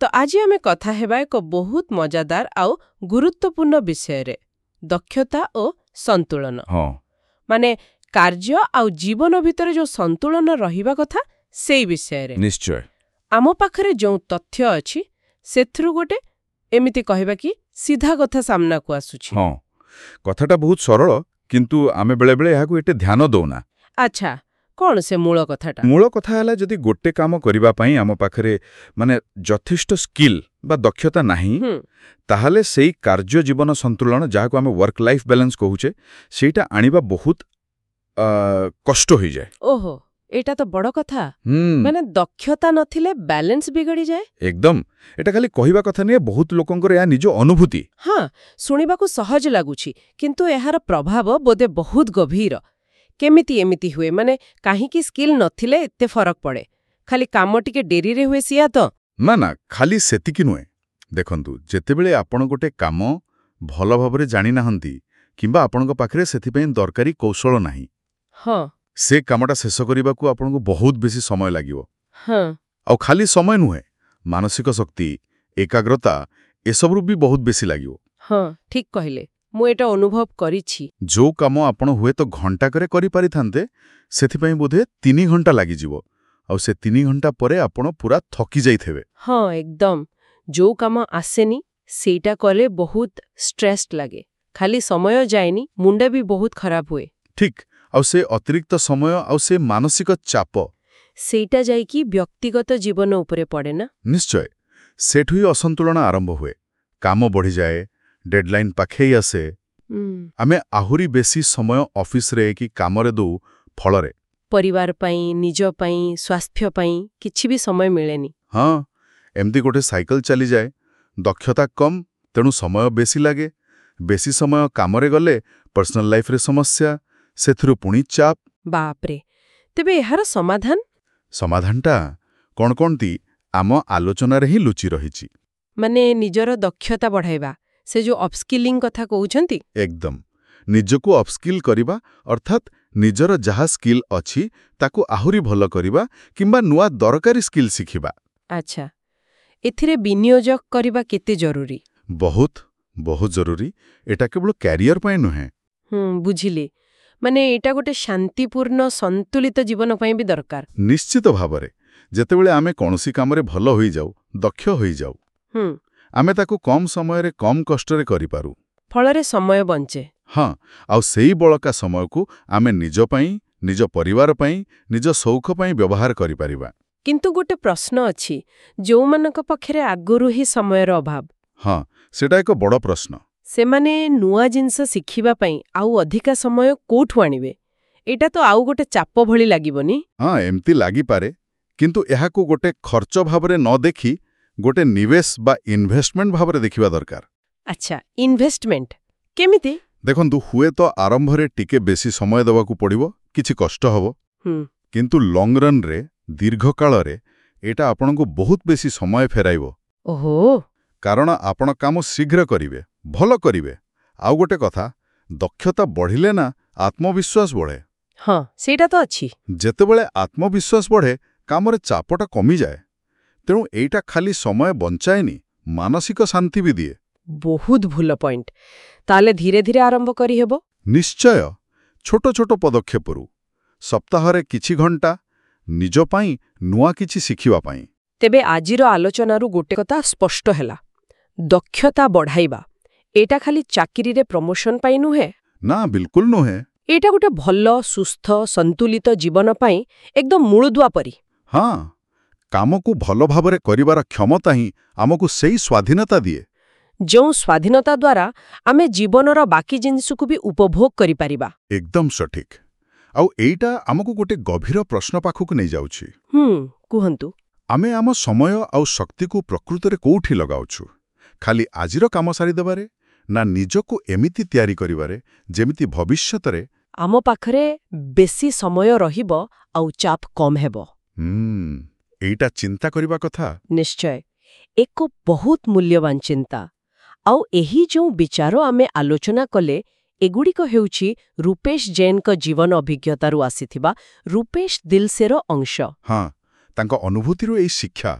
ତ ଆଜି ଆମେ କଥା ହେବା ଏକ ବହୁତ ମଜାଦାର ଆଉ ଗୁରୁତ୍ୱପୂର୍ଣ୍ଣ ବିଷୟରେ, ଦକ୍ଷତା ଓ ସନ୍ତୁଳନ। ମାନେ କାର୍ଯ୍ୟ ଆଉ ଜୀବନ ଭିତରେ ଯୋଉ ସନ୍ତୁଳନ ରହିବା କଥା, ସେଇ ବିଷୟରେ। ଆମ ପାଖରେ ଯେଉଁ ତଥ୍ୟ ଅଛି, ସେଥିରୁ ଗୋଟେ ଏମିତି କହିବା କି ସିଧା କଥା ସାମ୍ନାକୁ ଆସୁଛି। ହଁ, କଥାଟା ବହୁତ ସରଳ, କିନ୍ତୁ ଆମେ ବେଳେବେଳେ ଏହାକୁ ଏତେ ଧ୍ୟାନ ଦଉନା। ଆଚ୍ଛା, କଣ ସେ ମୂଳ କଥାଟା? ମୂଳ କଥା ହେଲା, ଯଦି ଗୋଟେ କାମ କରିବା ପାଇଁ ଆମ ପାଖରେ ମାନେ ଯଥେଷ୍ଟ ସ୍କିଲ୍ ବା ଦକ୍ଷତା ନାହିଁ, ତାହେଲେ ସେଇ କାର୍ଯ୍ୟ ଜୀବନ ସନ୍ତୁଳନ, ଯାହାକୁ ଆମେ ୱାର୍କ ଲାଇଫ୍ ବାଲାନ୍ସ କହୁଛେ, ସେଇଟା ଆଣିବା ବହୁତ କଷ୍ଟ ହୋଇଯାଏ। ଓହୋ, ଏଇଟା ତ ବଡ଼ କଥା। ମାନେ ଦକ୍ଷତା ନଥିଲେ ବାଲାନ୍ସ ବିଗଡ଼ିଯାଏ। ଏକଦମ। ଏଟା ଖାଲି କହିବା କଥା ନୁହେଁ, ବହୁତ ଲୋକଙ୍କର ଏହା ନିଜ ଅନୁଭୂତି। ହଁ, ଶୁଣିବାକୁ ସହଜ ଲାଗୁଛି, କିନ୍ତୁ ଏହାର ପ୍ରଭାବ ବୋଧେ ବହୁତ ଗଭୀର। କେମିତି ଏମିତି ହୁଏ? ମାନେ କାହିଁକି ସ୍କିଲ୍ ନଥିଲେ ଏତେ ଫରକ ପଡ଼େ? ଖାଲି କାମ ଟିକେ ଡେରିରେ ହୁଏ, ସିଆ ତ? ନା ନା, ଖାଲି ସେତିକି ନୁହେଁ। ଦେଖନ୍ତୁ, ଯେତେବେଳେ ଆପଣ ଗୋଟେ କାମ ଭଲ ଭାବରେ ଜାଣିନାହାନ୍ତି କିମ୍ବା ଆପଣଙ୍କ ପାଖରେ ସେଥିପାଇଁ ଦରକାରୀ କୌଶଳ ନାହିଁ, ସେ କାମଟା ଶେଷ କରିବାକୁ ଆପଣଙ୍କୁ ବହୁତ ବେଶୀ ସମୟ ଲାଗିବ। ଆଉ ଖାଲି ସମୟ ନୁହେଁ, ମାନସିକ ଶକ୍ତି, ଏକାଗ୍ରତା, ଏସବୁରୁ ବି ବହୁତ ବେଶୀ ଲାଗିବ। ହଁ, ଠିକ୍ କହିଲେ। ମୁଁ ଏଇଟା ଅନୁଭବ କରିଛି। ଯୋଉ କାମ ଆପଣ ହୁଏତ ଘଣ୍ଟାକରେ କରିପାରିଥାନ୍ତେ, ସେଥିପାଇଁ ବୋଧେ 3 ଘଣ୍ଟା ଲାଗିଯିବ। ଆଉ ସେ 3 ଘଣ୍ଟା ପରେ ଆପଣ ପୁରା ଥକି ଯାଇଥିବେ। ହଁ, ଏକଦମ। ଯୋଉ କାମ ଆସେନି, ସେଇଟା କଲେ ବହୁତ ଷ୍ଟ୍ରେସ୍ ଲାଗେ। ଖାଲି ସମୟ ଯାଏନି, ମୁଣ୍ଡ ବି ବହୁତ ଖରାପ ହୁଏ। ଠିକ୍। ଆଉ ସେ ଅତିରିକ୍ତ ସମୟ ଆଉ ସେ ମାନସିକ ଚାପ, ସେଇଟା ଯାଇକି ବ୍ୟକ୍ତିଗତ ଜୀବନ ଉପରେ ପଡ଼େ ନା? ନିଶ୍ଚୟ। ସେଠୁ ହିଁ ଅସନ୍ତୁଳନ ଆରମ୍ଭ ହୁଏ। କାମ ବଢ଼ିଯାଏ, ଡେଡଲାଇନ୍ ପାଖେଇ ଆସେ, ଆମେ ଆହୁରି ବେଶୀ ସମୟ ଅଫିସରେ କି କାମରେ ଦଉ। ଫଳରେ ପରିବାର ପାଇଁ, ନିଜ ପାଇଁ, ସ୍ୱାସ୍ଥ୍ୟ ପାଇଁ କିଛି ବି ସମୟ ମିଳେନି। ହଁ, ଏମିତି ଗୋଟେ ସାଇକେଲ ଚାଲିଯାଏ। ଦକ୍ଷତା କମ୍, ତେଣୁ ସମୟ ବେଶୀ ଲାଗେ। ବେଶୀ ସମୟ କାମରେ ଗଲେ ପର୍ସନାଲ ଲାଇଫରେ ସମସ୍ୟା, ସେଥିରୁ ପୁଣି ଚାପ। ବାପରେ! ତେବେ ଏହାର ସମାଧାନ? ସମାଧାନଟା କ'ଣ କଣତି ଆମ ଆଲୋଚନାରେ ହିଁ ଲୁଚି ରହିଛି। ମାନେ ନିଜର ଦକ୍ଷତା ବଢ଼ାଇବା, ସେ ଯୋଉ ଅପସ୍କିଲିଂ କଥା କହୁଛନ୍ତି? ଏକଦମ। ନିଜକୁ ଅପସ୍କିଲ୍ କରିବା, ଅର୍ଥାତ୍ ନିଜର ଯାହା ସ୍କିଲ୍ ଅଛି ତାକୁ ଆହୁରି ଭଲ କରିବା କିମ୍ବା ନୂଆ ଦରକାରୀ ସ୍କିଲ୍ ଶିଖିବା। ଆଚ୍ଛା, ଏଥିରେ ବିନିଯୋଗ କରିବା କେତେ ଜରୁରୀ? ବହୁତ ବହୁତ ଜରୁରୀ। ଏଟା କେବଳ କ୍ୟାରିୟର ପାଇଁ ନୁହେଁ। ବୁଝିଲି। ମାନେ ଏଇଟା ଗୋଟେ ଶାନ୍ତିପୂର୍ଣ୍ଣ, ସନ୍ତୁଳିତ ଜୀବନ ପାଇଁ ବି ଦରକାର। ନିଶ୍ଚିତ ଭାବରେ। ଯେତେବେଳେ ଆମେ କୌଣସି କାମରେ ଭଲ ହୋଇଯାଉ, ଦକ୍ଷ ହୋଇଯାଉ, ଆମେ ତାକୁ କମ୍ ସମୟରେ, କମ୍ କଷ୍ଟରେ କରିପାରୁ। ଫଳରେ ସମୟ ବଞ୍ଚେ। ହଁ, ଆଉ ସେଇ ବଳକା ସମୟକୁ ଆମେ ନିଜ ପାଇଁ, ନିଜ ପରିବାର ପାଇଁ, ନିଜ ସଉକ ପାଇଁ ବ୍ୟବହାର କରିପାରିବା। କିନ୍ତୁ ଗୋଟେ ପ୍ରଶ୍ନ ଅଛି। ଯୋଉମାନଙ୍କ ପାଖରେ ଆଗରୁ ହିଁ ସମୟର ଅଭାବ, ହଁ, ସେଟା ଏକ ବଡ଼ ପ୍ରଶ୍ନ। ସେମାନେ ନୂଆ ଜିନିଷ ଶିଖିବା ପାଇଁ ଆଉ ଅଧିକା ସମୟ କୋଉଠୁ ଆଣିବେ? ଏଇଟା ତ ଆଉ ଗୋଟେ ଚାପ ଭଳି ଲାଗିବନି? ହଁ, ଏମିତି ଲାଗିପାରେ। କିନ୍ତୁ ଏହାକୁ ଗୋଟେ ଖର୍ଚ୍ଚ ଭାବରେ ନ ଦେଖି ଗୋଟେ ନିବେଶ ବା ଇନଭେଷ୍ଟମେଣ୍ଟ ଭାବରେ ଦେଖିବା ଦରକାର। ଆଚ୍ଛା, ଇନଭେଷ୍ଟମେଣ୍ଟ। କେମିତି? ଦେଖନ୍ତୁ, ହୁଏତ ଆରମ୍ଭରେ ଟିକେ ବେଶୀ ସମୟ ଦେବାକୁ ପଡ଼ିବ, କିଛି କଷ୍ଟ ହେବ, କିନ୍ତୁ ଲଙ୍ଗ ରନ୍ରେ, ଦୀର୍ଘକାଳରେ ଏଇଟା ଆପଣଙ୍କୁ ବହୁତ ବେଶୀ ସମୟ ଫେରାଇବ। କାରଣ ଆପଣ କାମ ଶୀଘ୍ର କରିବେ, ଭଲ କରିବେ। ଆଉ ଗୋଟେ କଥା, ଦକ୍ଷତା ବଢ଼ିଲେ ନା ଆତ୍ମବିଶ୍ୱାସ ବଢ଼େ। ହଁ, ସେଇଟା ତ ଅଛି। ଯେତେବେଳେ ଆତ୍ମବିଶ୍ୱାସ ବଢ଼େ, କାମରେ ଚାପଟା କମିଯାଏ। ତେଣୁ ଏଇଟା ଖାଲି ସମୟ ବଞ୍ଚାଏନି, ମାନସିକ ଶାନ୍ତି ବି ଦିଏ। ବହୁତ ଭଲ ପଏଣ୍ଟ। ତାହେଲେ ଧୀରେ ଧୀରେ ଆରମ୍ଭ କରିହେବ? ନିଶ୍ଚୟ। ଛୋଟ ଛୋଟ ପଦକ୍ଷେପରୁ, ସପ୍ତାହରେ କିଛି ଘଣ୍ଟା ନିଜ ପାଇଁ ନୂଆ କିଛି ଶିଖିବା ପାଇଁ। ତେବେ ଆଜିର ଆଲୋଚନାରୁ ଗୋଟେ କଥା ସ୍ପଷ୍ଟ ହେଲା, ଦକ୍ଷତା ବଢ଼ାଇବା ଏଇଟା ଖାଲି ଚାକିରିରେ ପ୍ରମୋସନ ପାଇଁ ନୁହେଁ। ନା, ବିଲକୁଲ ନୁହେଁ। ଏଇଟା ଗୋଟେ ଭଲ, ସୁସ୍ଥ, ସନ୍ତୁଳିତ ଜୀବନ ପାଇଁ ଏକଦମ ମୂଳଦୁଆ ପରି। ହଁ, କାମକୁ ଭଲ ଭାବରେ କରିବାର କ୍ଷମତା ହିଁ ଆମକୁ ସେଇ ସ୍ୱାଧୀନତା ଦିଏ, ଯେଉଁ ସ୍ୱାଧୀନତା ଦ୍ୱାରା ଆମେ ଜୀବନର ବାକି ଜିନିଷକୁ ବି ଉପଭୋଗ କରିପାରିବା। ଏକଦମ ସଠିକ୍। ଆଉ ଏଇଟା ଆମକୁ ଗୋଟେ ଗଭୀର ପ୍ରଶ୍ନ ପାଖକୁ ନେଇଯାଉଛି। କୁହନ୍ତୁ। ଆମେ ଆମ ସମୟ ଆଉ ଶକ୍ତିକୁ ପ୍ରକୃତରେ କୋଉଠି ଲଗାଉଛୁ? ଖାଲି ଆଜିର କାମ ସାରିଦେବାରେ, ନା ନିଜକୁ ଏମିତି ତିଆରି କରିବାରେ ଯେମିତି ଭବିଷ୍ୟତରେ ଆମ ପାଖରେ ବେଶୀ ସମୟ ରହିବ ଆଉ ଚାପ କମ୍ ହେବ? ଏଇଟା ଚିନ୍ତା କରିବା କଥା। ନିଶ୍ଚୟ, ଏକ ବହୁତ ମୂଲ୍ୟବାନ ଚିନ୍ତା। ଆଉ ଏହି ଯେଉଁ ବିଚାର ଆମେ ଆଲୋଚନା କଲେ, ଏଗୁଡ଼ିକ ହେଉଛି ରୂପେଶ ଜୈନଙ୍କ ଜୀବନ ଅଭିଜ୍ଞତାରୁ ଆସିଥିବା ରୂପେଶ ଦିଲସେର ଅଂଶ। ହଁ, ତାଙ୍କ ଅନୁଭୂତିରୁ ଏଇ ଶିକ୍ଷା।